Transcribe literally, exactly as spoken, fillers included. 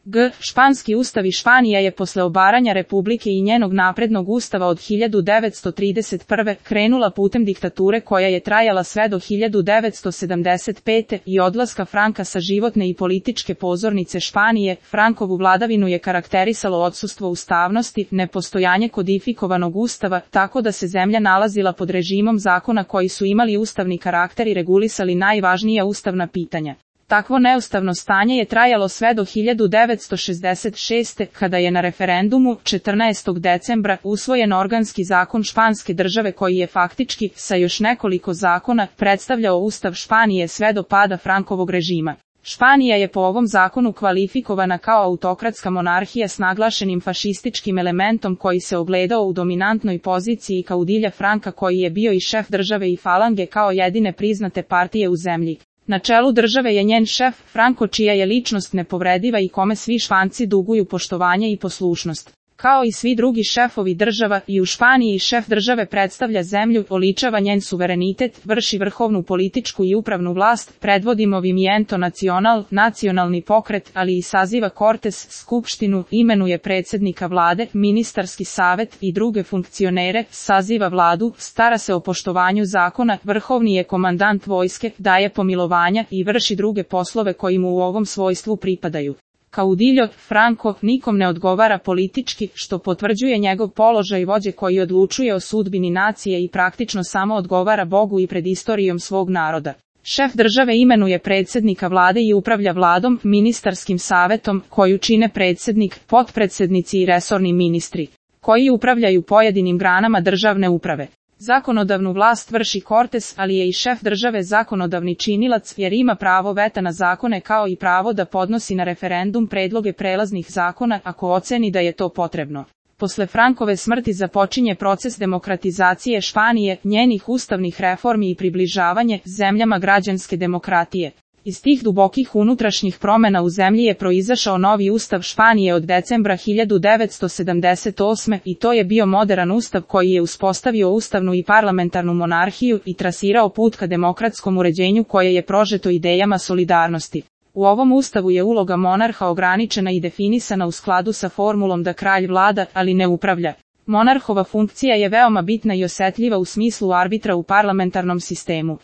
G. Španski ustav i Španija je posle obaranja Republike i njenog naprednog ustava od hiljadu devetsto trideset prve. krenula putem diktature koja je trajala sve do hiljadu devetsto sedamdeset pete. i odlaska Franka sa životne i političke pozornice Španije. Frankovu vladavinu je karakterisalo odsustvo ustavnosti, nepostojanje kodifikovanog ustava, tako da se zemlja nalazila pod režimom zakona koji su imali ustavni karakter i regulisali najvažnija ustavna pitanja. Takvo neustavno stanje je trajalo sve do hiljadu devetsto šezdeset šeste. kada je na referendumu četrnaestog decembra usvojen organski zakon Španske države koji je faktički, sa još nekoliko zakona, predstavljao ustav Španije sve do pada Frankovog režima. Španija je po ovom zakonu kvalifikovana kao autokratska monarhija s naglašenim fašističkim elementom koji se ogledao u dominantnoj poziciji kaudilja Franka koji je bio i šef države i falange kao jedine priznate partije u zemlji. Na čelu države je njen šef, Franco, čija je ličnost nepovrediva i kome svi Španci duguju poštovanje i poslušnost. Kao i svi drugi šefovi država, i u Španiji šef države predstavlja zemlju, oličava njen suverenitet, vrši vrhovnu političku i upravnu vlast, predvodi Movimiento Nacional, nacionalni pokret, ali i saziva Cortes, skupštinu, imenuje predsjednika vlade, ministarski savet i druge funkcionere, saziva vladu, stara se o poštovanju zakona, vrhovni je komandant vojske, daje pomilovanja i vrši druge poslove koji mu u ovom svojstvu pripadaju. Kaudiljo, Franco, nikom ne odgovara politički, što potvrđuje njegov položaj vođe koji odlučuje o sudbini nacije i praktično samo odgovara Bogu i pred istorijom svog naroda. Šef države imenuje predsjednika vlade i upravlja vladom, ministarskim savetom, koju čine predsjednik, potpredsjednici i resorni ministri, koji upravljaju pojedinim granama državne uprave. Zakonodavnu vlast vrši Cortes, ali je i šef države zakonodavni činilac, jer ima pravo veta na zakone kao i pravo da podnosi na referendum predloge prelaznih zakona ako oceni da je to potrebno. Posle Frankove smrti započinje proces demokratizacije Španije, njenih ustavnih reformi i približavanje zemljama građanske demokratije. Iz tih dubokih unutrašnjih promjena u zemlji je proizašao novi ustav Španije od decembra hiljadu devetsto sedamdeset osme. i to je bio moderan ustav koji je uspostavio ustavnu i parlamentarnu monarhiju i trasirao put ka demokratskom uređenju koje je prožeto idejama solidarnosti. U ovom ustavu je uloga monarha ograničena i definisana u skladu sa formulom da kralj vlada, ali ne upravlja. Monarhova funkcija je veoma bitna i osetljiva u smislu arbitra u parlamentarnom sistemu.